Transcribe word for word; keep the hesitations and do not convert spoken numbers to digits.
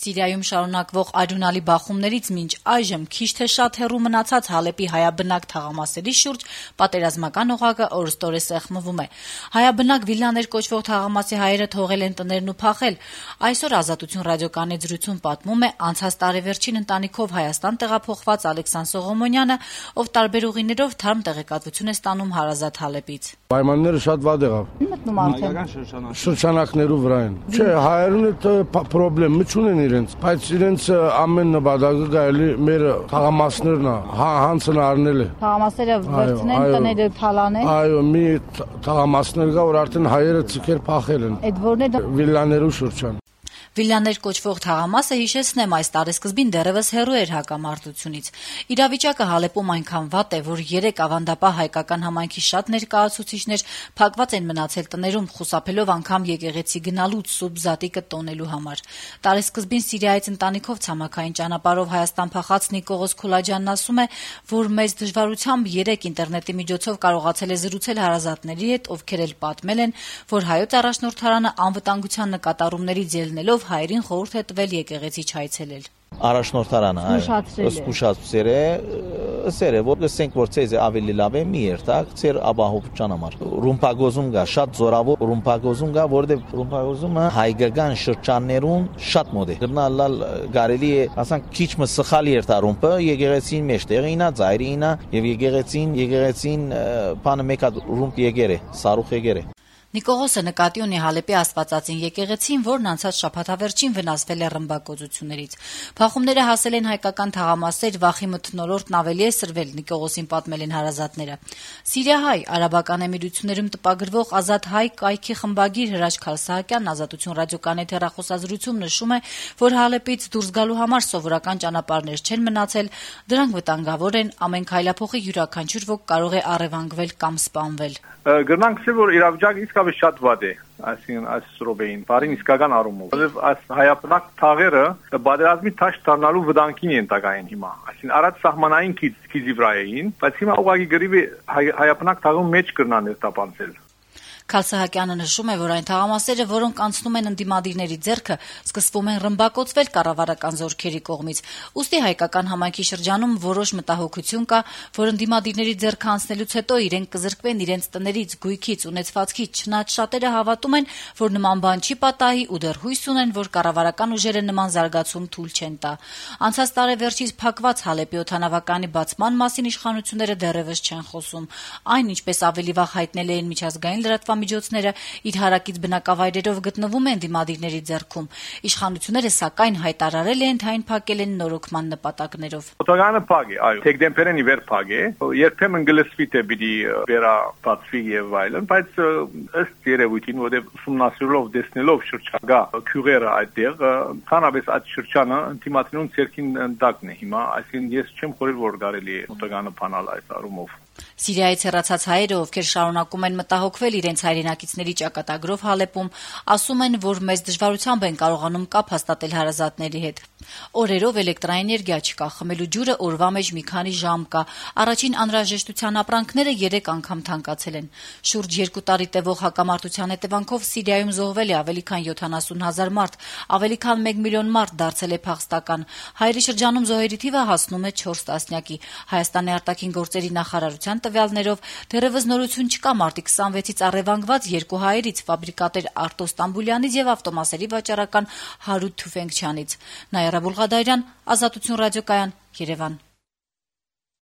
Սիրիայում շարունակվող արյունալի բախումներից մինչ այժմ քիչ թե շատ հեռու մնացած Հալեպի հայաբնակ թաղամասերի շուրջ պատերազմական օղակը օրըստօրե սեղմվում է։ Հայաբնակ Վիլլաներ կոչվող թաղամասի հայերը թողել են տներն ու փախել։ Այսօր Ազատություն ռադիոկայանի զրույցում պատմում է անցած տարեվերջին ընտանիքով Հայաստան տեղափոխված Ալեքսան Սողոմոնյանը, ով տարբեր ուղիներով թարմ տեղեկատվություն է ստանում հարազատ Հալեպից։ Պայմանները շատ վատ եղավ։ Մտնում արդեն շրջանակներու վրա են։ Չէ, հայերուն այդ պրոբլեմ չունեն իրենց, բայց իրենց ամեն նպատակը գալի մեր թաղամասներն է, հանցն առնել է։ Թաղամասերը վերցնեն, տները թալանեն։ Այո, մի թաղամասներ կա, որ արդեն հայերը ցիկեր փախել են։ Այդ որն է Վիլլաներու շրջան։ Վիլլաներ կոչվող թաղամասը, հիշեցնեմ, այս տարեսկզբին դեռևս հեռու էր հակամարտությունից։ Իրավիճակը Հալեպում այնքան վատ է, որ երեք ավանդապահ հայկական համայնքի շատ ներկայացուցիչներ փակված են մնացել տներում, խուսափելով անգամ եկեղեցի գնալուց սուրբ զատիկը տոնելու համար։ Տարեսկզբին Սիրիայից ընտանիքով ցամաքային ճանապարհով Հայաստան փախած Նիկողոս Քուլաջյանն ասում է, որ մեծ դժվարությամբ երեք ինտերնետի միջոցով կարողացել է զրուցել հարազատների հետ, ովքեր էլ պատմել են, որ հայոց առաջնորդարանը անվտանգության նկատառումներից ելնելով հայերին խորհուրդ է տվել եկեղեցի չայցելել։ Առաջնորդարանը զսկուշացրել է, ասել է, որ գսենք որ ցեզ ավելի լավ է մի երթակ, ցեր ապահովության համար։ Ռումպագոզում կա շատ զորավոր ռումպագոզում կա, որտեղ ռումպագոզումը հայկական շրջաններում շատ մոտ է։ Գնալ կարելի է, ասենք քիչ մը սխալ երթարումպը եկեղեցին մեջտեղին է, ծայրին է եւ եկեղեցին, եկեղեցին բանը մեկա ռումպ եկեր է, սարուխ եկեր է։ Նիկողոսը նկատի ունի Հալեպի Աստվածածին եկեղեցին, որն անցած շաբաթավերջին վնասվել է ռմբակոծություններից։ Փախումները հասել են հայկական թաղամասեր, վախի մթնոլորտն ավելի է սրվել, Նիկողոսին պատմել են հարազատները։ Սիրիահայ արաբական էմիրություններում տպագրվող Ազատ հայ կայքի խմբագիր Հրաչ Քալսահակյանն Ազատություն ռադիոկայանի հեռախոսազրույցում նշում է, որ Հալեպից դուրս գալու համար սովորական ճանապարհներ չեն մնացել, դրանք վտանգավոր են, ամեն քայլափոխի յուրաքանչյուր ոք կարող է առևանգվել կամ սպանվել։ Գնանք ասել, որ իրավիճակը իսկապես շատ վատ է, այսինքն այս ռոբեին, բարին իսկական առումով։ Որովհետև այս հայապնակ թաղերը բادرազմի թաշ դառնալու վտանգին են տակային հիմա։ Այսինքն առաջ սահմանային քիզի վրա էին, բայց հիմա ուղղակի գրիվի հայապնակ թաղում մեջ կրնան ներտապանցել։ Քալսահակյանը նշում է, որ այն թաղամասերը, որոնք անցնում են ընդդիմադիրների ձեռքը, սկսվում են ռմբակոծվել կառավարական զորքերի կողմից։ Ուստի հայկական համայնքի շրջանում որոշ մտահոգություն կա, որ ընդդիմադիրների ձեռքը անցնելուց հետո իրենք կզրկվեն իրենց տներից, գույքից, ունեցվածքից, չնայած շատերը հավատում են, որ նման բան չի պատահի ու դեռ հույս ունեն, որ կառավարական ուժերը նման զարգացում թույլ չեն տա։ Անցած տարեվերջից փակված Հալեպի օդանավականի բացման մասին իշխանությունները դեռևս չեն խոսում։ Այն, ինչպես ավելի վաղ հայտնել էին միջազգային լրատվամիջոցները, իր հարակից բնակավայրերով գտնվում են դիմադիրների ձեռքում։ Իշխանությունները սակայն հայտարարել են, թե այն փակել են նորոգման նպատակներով։ Օդանավականը փակ է, այո, դեկտեմբերին իվեր փակ է։ Երբեմն գլսվի թե պիտի վերաբացվի եւ այլն, բայց ըստ երևույթին, որտեղ ուսումնասիրելով տեսնելով շրջակա քյուղերը այդտեղ, քանավես այդ շրջանը ինտիմատիոն ցերքին դակն է հիմա, այսինքն ես չեմ խորել որ կարելի է օդանավականը փանալ այս առումով։ Սիրիայից հեռացած հայերը, ովքեր շարունակում են մտահոգվել իրենց հայրենակիցների ճակատագրով Հալեպում, ասում են, որ մեծ դժվարությամբ են կարողանում կապ հաստատել հարազատների հետ։ Օրերով էլեկտրաէներգիա չկա, խմելու ջուրը օրվա մեջ մի քանի ժամ կա, առաջին անհրաժեշտության ապրանքները երեք անգամ թանկացել են։ Շուրջ երկու տարի տևող հակամարտության հետևանքով Սիրիայում զոհվել է ավելի քան յոթանասուն հազար մարդ, ավելի քան մեկ միլիոն մարդ դարձել է փախստական։ Հայերի շրջանում զոհերի թիվը հասնում է չորս տասնյակի։ Հայաստանի արտաքին գործերի նախարարության տվյալներով դեռևս նորություն չկա մարտի քսանվեցից առևանգված երկու հայերից՝ ֆաբրիկատեր Արտո Ստամբուլյանից եւ ավտոմասերի վաճառական Հարութ Թուֆենկչյանից։ Նայրա Բուլղադարյան, Ազատություն ռադիոկայան, Երևան։